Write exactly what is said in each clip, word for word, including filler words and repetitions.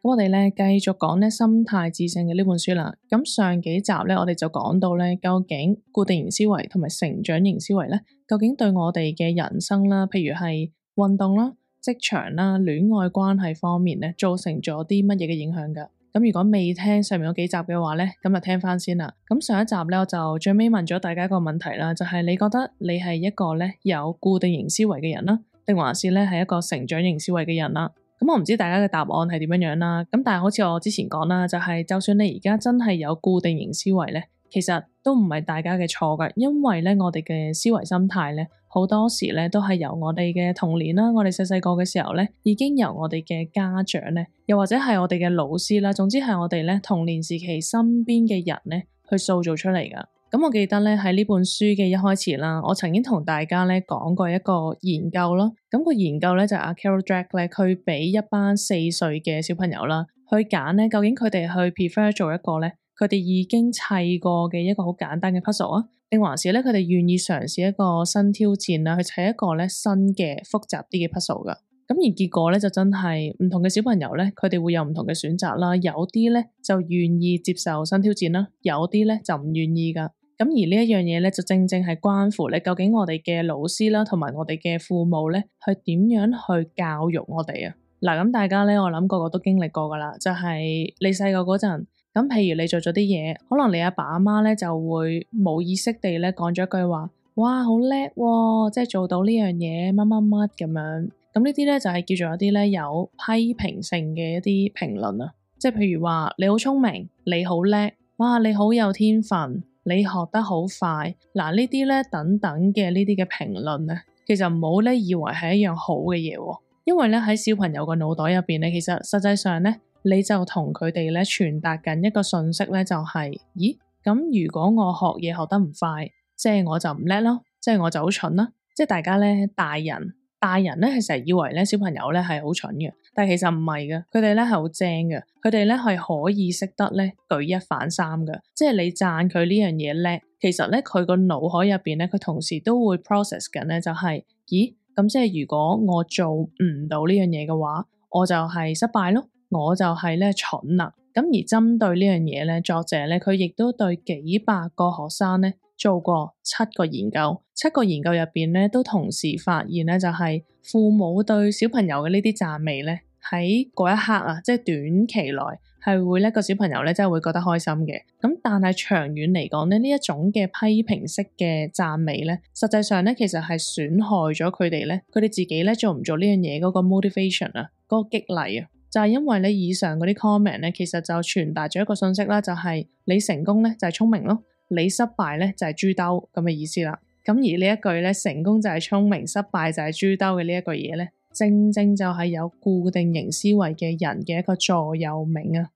咁我哋咧繼續講咧心態致勝嘅呢本書啦。咁上幾集咧，我哋就講到咧，究竟固定型思維同埋成長型思維咧，究竟對我哋嘅人生啦，譬如係運動啦、職場啦、戀愛關係方面咧，造成咗啲乜嘢嘅影響噶？咁如果未聽上面嗰幾集嘅話咧，咁就聽翻先啦。咁上一集咧，我就最尾問咗大家一個問題啦，就係你覺得你係一個咧有固定型思維嘅人啦，定還是咧係一個成長型思維嘅人啦？咁我唔知大家嘅答案係點樣樣啦。咁但係好似我之前講啦，就係就算你而家真係有固定型思維咧，其實都唔係大家嘅錯噶，因為咧我哋嘅思維心態咧，好多時咧都係由我哋嘅童年啦，我哋細細個嘅時候咧，已經由我哋嘅家長咧，又或者係我哋嘅老師啦，總之係我哋咧童年時期身邊嘅人咧，去塑造出嚟噶。咁我記得咧喺呢本書嘅一開始啦，我曾經同大家咧講過一個研究咯。咁個研究咧就係阿 Carol Dweck 咧，佢俾一班四歲嘅小朋友啦去揀咧，究竟佢哋去 prefer 做一個咧，佢哋已經砌過嘅一個好簡單嘅 puzzle 啊，定還是咧佢哋願意嘗試一個新挑戰啦，去砌一個咧新嘅複雜啲嘅 puzzle 噶。咁而結果咧就真係唔同嘅小朋友咧，佢哋會有唔同嘅選擇啦。有啲咧就願意接受新挑戰啦，有啲咧就唔願意噶。咁而呢一樣嘢咧，就正正係關乎咧，究竟我哋嘅老師啦，同埋我哋嘅父母咧，去點樣去教育我哋啊？嗱，咁大家咧，我諗個個都經歷過噶啦，就係你細個嗰陣，咁譬如你做咗啲嘢，可能你阿爸阿媽咧就會冇意識地咧講咗一句話，哇，好叻喎，即係做到呢樣嘢，乜乜乜咁樣。咁呢啲咧就係叫做一啲咧有批評性嘅一啲評論啊，即係譬如話你好聰明，你好叻，哇，你好有天分。你學得好快，嗱呢啲咧等等嘅呢啲嘅評論咧，其實唔好咧以為係一樣好嘅嘢喎，因為咧喺小朋友個腦袋入邊咧，其實實際上咧你就同佢哋咧傳達緊一個訊息咧，就係，咦，咁如果我學嘢學得唔快，即係我就唔叻咯，即係我就好蠢啦，即係大家咧大人。大人咧係成日以為咧小朋友咧係好蠢嘅，但係其實唔係嘅，佢哋咧係好精嘅，佢哋咧係可以識得咧舉一反三嘅，即係你讚佢呢樣嘢叻，其實咧佢個腦海入邊咧佢同時都會 process 緊咧就係，咦，咁即係如果我做唔到呢樣嘢嘅話，我就係失敗咯，我就係咧蠢啦。咁而針對呢樣嘢咧，作者咧佢亦都對幾百個學生咧做過七個研究，七個研究入邊咧都同時發現咧就係父母對小朋友嘅呢啲讚美咧喺嗰一刻啊，即係短期內係會咧個小朋友咧真係會覺得開心嘅。咁但係長遠嚟講咧，呢一種嘅批評式嘅讚美咧，實際上咧其實係損害咗佢哋咧，佢哋自己咧做唔做呢樣嘢嗰個 motivation 啊，嗰個激勵啊。就係因為咧以上嗰啲 comment 咧，其實就傳達咗一個信息啦，就係你成功咧就係聰明咯，你失敗咧就係豬兜咁嘅意思啦。咁而呢一句咧，成功就係聰明，失敗就係豬兜嘅呢一句嘢咧，正正就係有固定型思維嘅人嘅一個座右銘啊。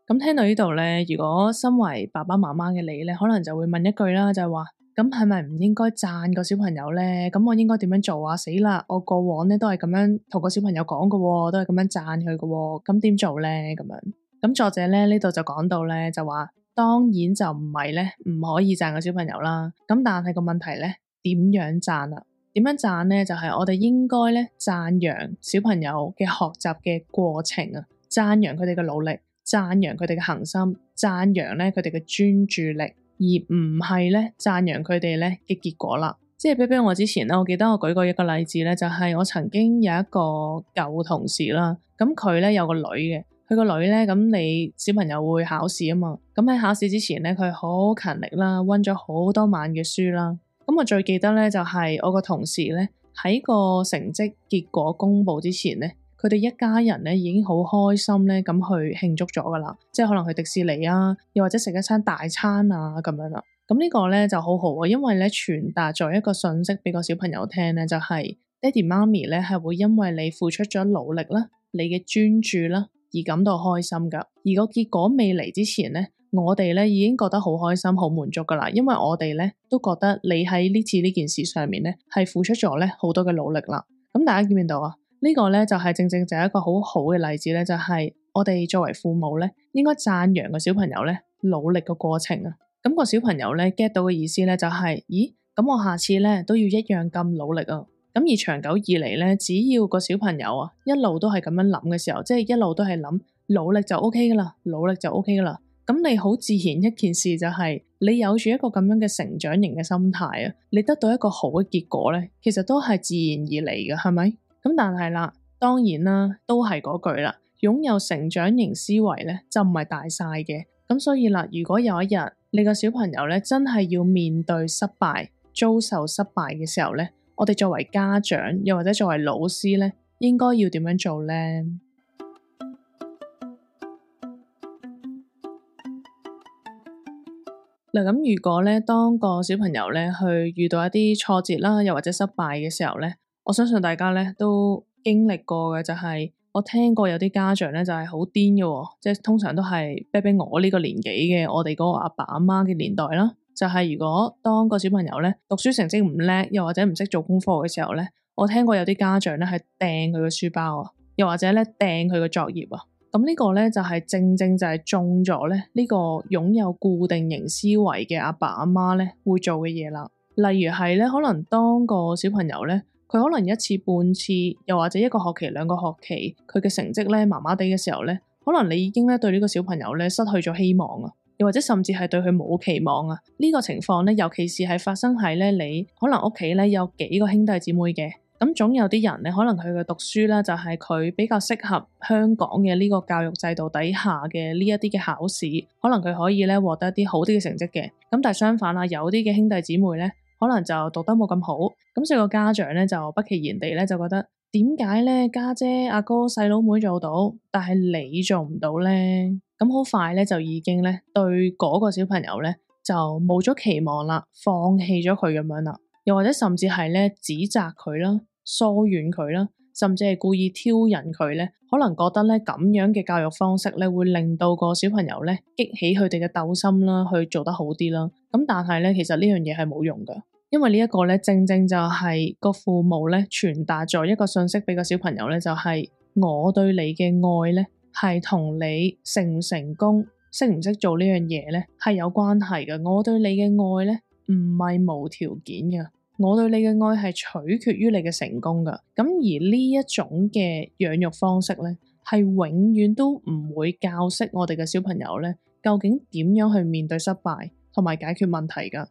咁聽到呢度咧，如果身為爸爸媽媽嘅你咧，可能就會問一句啦，就係話，咁係咪唔應該讚個小朋友咧？咁我應該點樣做啊？死啦！我過往咧都係咁樣同個小朋友講嘅，都係咁樣讚佢嘅，咁點做咧？咁樣，咁作者咧呢度就講到咧，就話當然就唔係咧唔可以讚個小朋友啦。咁但係個問題咧，點樣讚啊？點樣讚咧？就係我哋應該咧讚揚小朋友嘅學習嘅過程啊，讚揚佢哋嘅努力，讚揚佢哋嘅恒心，讚揚咧佢哋嘅專注力。而唔係咧讚揚佢哋咧嘅結果啦，即係比比我之前咧，我記得我舉過一個例子咧，就係、是、我曾經有一個舊同事啦，咁佢咧有個女嘅，佢個女咧咁你小朋友會考試啊嘛，咁喺考試之前咧佢好勤力啦，溫咗好多晚嘅書啦，咁我最記得咧就係、是、我個同事咧喺個成績結果公布之前咧。佢哋一家人咧已經好開心咧咁去慶祝咗噶啦，即係可能去迪士尼啊，又或者食一餐大餐啊咁樣啦。咁呢個咧就好好啊，因為咧傳達咗一個訊息俾個小朋友聽咧，就係爹哋媽咪咧係會因為你付出咗努力啦，你嘅專注啦而感到開心噶。而個結果未嚟之前咧，我哋咧已經覺得好開心、好滿足噶啦，因為我哋咧都覺得你喺呢次呢件事上面咧係付出咗咧好多嘅努力啦。咁大家見唔見到啊？呢個咧就係正正就係一個好好嘅例子咧，就係我哋作為父母咧，應該讚揚個小朋友咧努力嘅過程啊。咁個小朋友咧 get 到嘅意思咧就係，咦，咁我下次咧都要一樣咁努力啊。咁咁而長久以嚟咧，只要個小朋友啊一路都係咁樣諗嘅時候，即係一路都係諗努力就 O K 噶啦，努力就 O K 噶啦。咁你好自然一件事就係你有住一個咁樣嘅成長型嘅心態啊，你得到一個好嘅結果咧，其實都係自然而嚟嘅，係咪？咁但係啦，當然啦，都係嗰句啦，擁有成長型思維咧就唔係大晒嘅。咁所以啦，如果有一日你個小朋友咧真係要面對失敗、遭受失敗嘅時候咧，我哋作為家長又或者作為老師咧，應該要點樣做咧？嗱，咁如果咧當個小朋友咧去遇到一啲挫折啦，又或者失敗嘅時候咧，我相信大家咧都經歷過嘅就係，我聽過有啲家長咧就係好癲嘅，即係通常都係比比我呢個年紀嘅，我哋嗰個阿爸阿媽嘅年代啦。就係如果當個小朋友咧讀書成績唔叻，又或者唔識做功課嘅時候咧，我聽過有啲家長咧係掟佢個書包啊，又或者咧掟佢個作業啊。咁呢個咧就係正正就係中咗咧呢個擁有固定型思維嘅阿爸阿媽咧會做嘅嘢啦。例如係咧，可能當個小朋友咧，佢可能一次半次，又或者一個學期兩個學期，佢嘅成績咧麻麻地嘅時候咧，可能你已經咧對呢個小朋友咧失去咗希望啊，又或者甚至係對佢冇期望啊。呢個情況咧，尤其是係發生喺咧你可能屋企咧有幾個兄弟姊妹嘅。咁總有啲人咧，可能佢嘅讀書咧就係佢比較適合香港嘅呢個教育制度底下嘅呢一啲嘅考試，可能佢可以咧獲得一啲好啲嘅成績嘅。咁但係相反啦，有啲嘅兄弟姊妹咧，可能就讀得冇咁好，咁所以個家長咧就不其然地咧就覺得點解咧家姐阿哥細佬妹做到，但係你做唔到咧？咁好快咧就已經咧對嗰個小朋友咧就冇咗期望啦，放棄咗佢咁樣啦，又或者甚至係咧指責佢啦，疏遠佢啦，甚至係故意挑釁佢咧，可能覺得咧咁樣嘅教育方式咧會令到個小朋友咧激起佢哋嘅鬥心啦，去做得好啲啦。咁但係咧，其實呢樣嘢係冇用噶，因為呢一個咧正正就係個父母咧傳達咗一個信息俾個小朋友咧，就係我對你嘅愛咧係同你成唔成功、識唔識做呢樣嘢咧係有關係嘅。我對你嘅愛咧唔係無條件嘅。我對你嘅愛係取決於你嘅成功噶，咁而呢一種嘅養育方式咧，係永遠都唔會教識我哋嘅小朋友咧，究竟點樣去面對失敗同埋解決問題噶。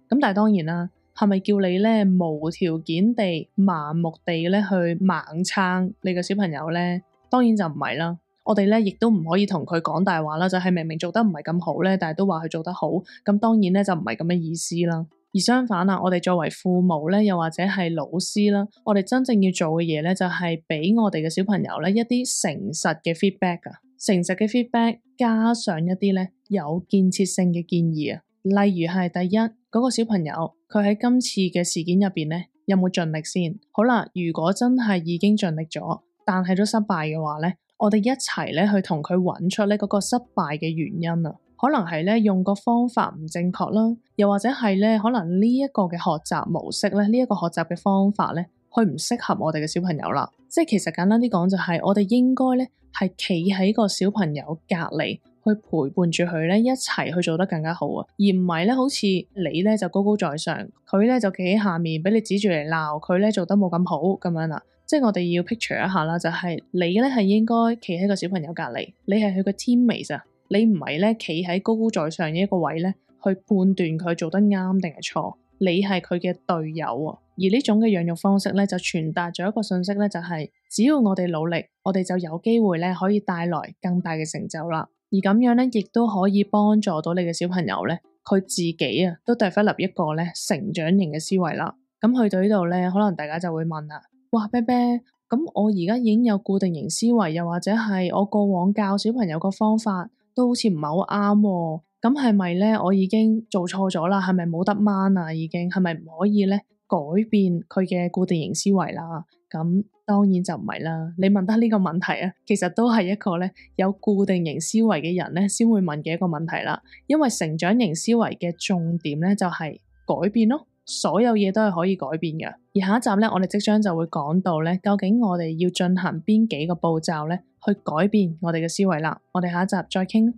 咁但係當然啦，係咪叫你咧無條件地、盲目地咧去盲撐你嘅小朋友咧？當然就唔係啦。我哋咧亦都唔可以同佢講大話啦，就係明明做得唔係咁好咧，但係都話佢做得好，咁當然咧就唔係咁嘅意思啦。而相反啊，我哋作為父母咧，又或者係老師啦，我哋真正要做嘅嘢咧，就係俾我哋嘅小朋友咧一啲誠實嘅 feedback 啊，誠實嘅 feedback 加上一啲咧有建設性嘅建議啊，例如係第一，嗰個小朋友佢喺今次嘅事件入邊咧有冇盡力先？好啦，如果真係已經盡力咗，但係都失敗嘅話咧，我哋一齊咧去同佢揾出咧嗰個失敗嘅原因啊，可能係咧用個方法唔正確啦，又或者係咧可能呢一個嘅學習模式咧，呢一個學習嘅方法咧，佢唔適合我哋嘅小朋友啦。即係其實簡單啲講就係，我哋應該咧係企喺個小朋友隔離去陪伴住佢咧，一齊去做得更加好啊，而唔係咧好似你咧就高高在上，佢咧就企喺下面俾你指住嚟鬧，佢咧做得冇咁好咁樣啦。即係我哋要 picture 一下啦，就係你咧係應該企喺個小朋友隔離，你係佢個 teammate 啊，你唔係咧企喺高高在上嘅一個位咧去判斷佢做得啱定係錯，你係佢嘅隊友啊。而呢種嘅養育方式咧就傳達咗一個信息咧，就係只要我哋努力，我哋就有機會咧可以帶來更大嘅成就啦。而咁樣咧亦都可以幫助到你嘅小朋友咧，佢自己啊都 develop 一個咧成長型嘅思維啦。咁去到呢度咧，可能大家就會問啦，哇，啤啤，咁我而家已經有固定型思維，又或者係我過往教小朋友個方法都好似唔係好啱喎，咁係咪咧我已經做錯咗啦？係咪冇得掹啊？已經係咪唔可以咧改變佢嘅固定型思維啦？咁當然就唔係啦。你問得呢個問題啊，其實都係一個咧有固定型思維嘅人咧先會問嘅一個問題啦。因為成長型思維嘅重點咧就係改變咯。所有嘢都係可以改變嘅，而下一集咧，我哋即將就會講到咧，究竟我哋要進行邊幾個步驟咧，去改變我哋嘅思維啦。我哋下一集再傾。